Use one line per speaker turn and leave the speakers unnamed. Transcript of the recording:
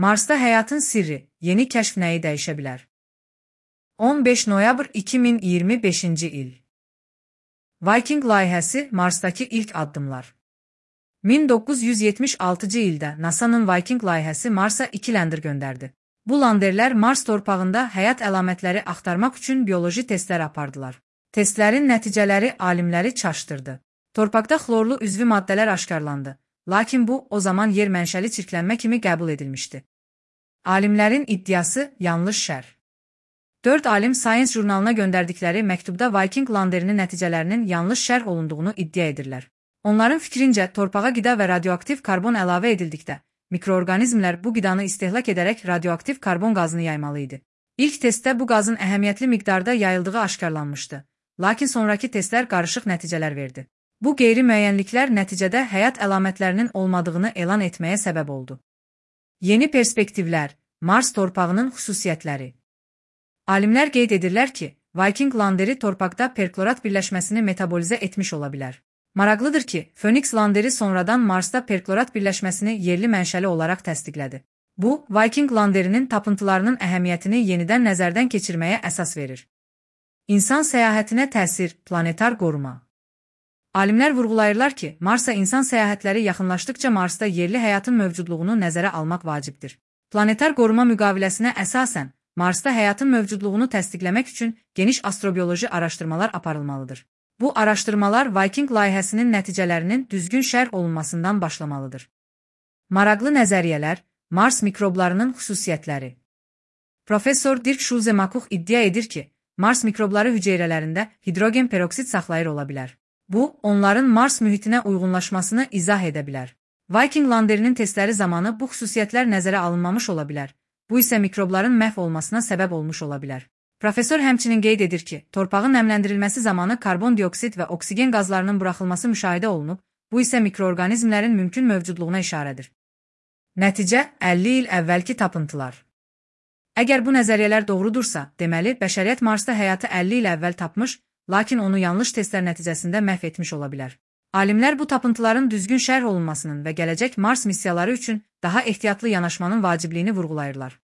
Marsda həyatın sirri, yeni kəşf nəyi dəyişə bilər? 15 noyabr 2025-ci il. Viking layihəsi Marsdakı ilk addımlar. 1976-cı ildə NASA-nın Viking layihəsi Marsa 2 lander göndərdi. Bu landerlər Mars torpağında həyat əlamətləri axtarmaq üçün bioloji testlər apardılar. Testlərin nəticələri alimləri çaşdırdı. Torpaqda xlorlu üzvü maddələr aşkarlandı, lakin bu o zaman yer mənşəli çirklənmə kimi qəbul edilmişdi. Alimlərin iddiası yanlış şər. 4 alim Science jurnalına göndərdikləri məktubda Viking landerinin nəticələrinin yanlış şərh olunduğunu iddia edirlər. Onların fikrincə, torpağa qida və radioaktiv karbon əlavə edildikdə, mikroorqanizmlər bu qidanı istehlak edərək radioaktiv karbon qazını yaymalı idi. İlk testdə bu qazın əhəmiyyətli miqdarda yayıldığı aşkarlanmışdı, lakin sonraki testlər qarışıq nəticələr verdi. Bu qeyri-müəyyənliklər nəticədə həyat əlamətlərinin olmadığını elan etməyə səbəb oldu. Yeni perspektivlər, Mars torpağının xüsusiyyətləri. Alimlər qeyd edirlər ki, Viking landeri torpaqda perklorat birləşməsini metabolizə etmiş ola bilər. Maraqlıdır ki, Phoenix landeri sonradan Marsda perklorat birləşməsini yerli mənşəli olaraq təsdiqlədi. Bu, Viking landerinin tapıntılarının əhəmiyyətini yenidən nəzərdən keçirməyə əsas verir. İnsan səyahətinə təsir, planetar qoruma. Alimlər vurğulayırlar ki, Marsa insan səyahətləri yaxınlaşdıqca Marsda yerli həyatın mövcudluğunu nəzərə almaq vacibdir. Planetar qoruma müqaviləsinə əsasən, Marsda həyatın mövcudluğunu təsdiqləmək üçün geniş astrobioloji araşdırmalar aparılmalıdır. Bu araşdırmalar Viking layihəsinin nəticələrinin düzgün şərh olunmasından başlamalıdır. Maraqlı nəzəriyyələr, Mars mikroblarının xüsusiyyətləri. Professor Dirk Schulze-Makuch iddia edir ki, Mars mikrobları hüceyrələrində hidrogen peroksid saxlayır ola bilər. Bu, onların Mars mühitinə uyğunlaşmasını izah edə bilər. Viking landerinin testləri zamanı bu xüsusiyyətlər nəzərə alınmamış ola bilər. Bu isə mikrobların məhv olmasına səbəb olmuş ola bilər. Professor həmçinin qeyd edir ki, torpağın nəmləndirilməsi zamanı karbon dioksid və oksigen qazlarının buraxılması müşahidə olunub, bu isə mikroorqanizmlərin mümkün mövcudluğuna işarədir. Nəticə, 50 il əvvəlki tapıntılar. Əgər bu nəzəriyyələr doğrudursa, deməli, bəşəriyyət Marsda həyatı 50 il əvvəl tapmış, lakin onu yanlış testlər nəticəsində məhv etmiş ola bilər. Alimlər bu tapıntıların düzgün şərh olunmasının və gələcək Mars missiyaları üçün daha ehtiyatlı yanaşmanın vacibliyini vurğulayırlar.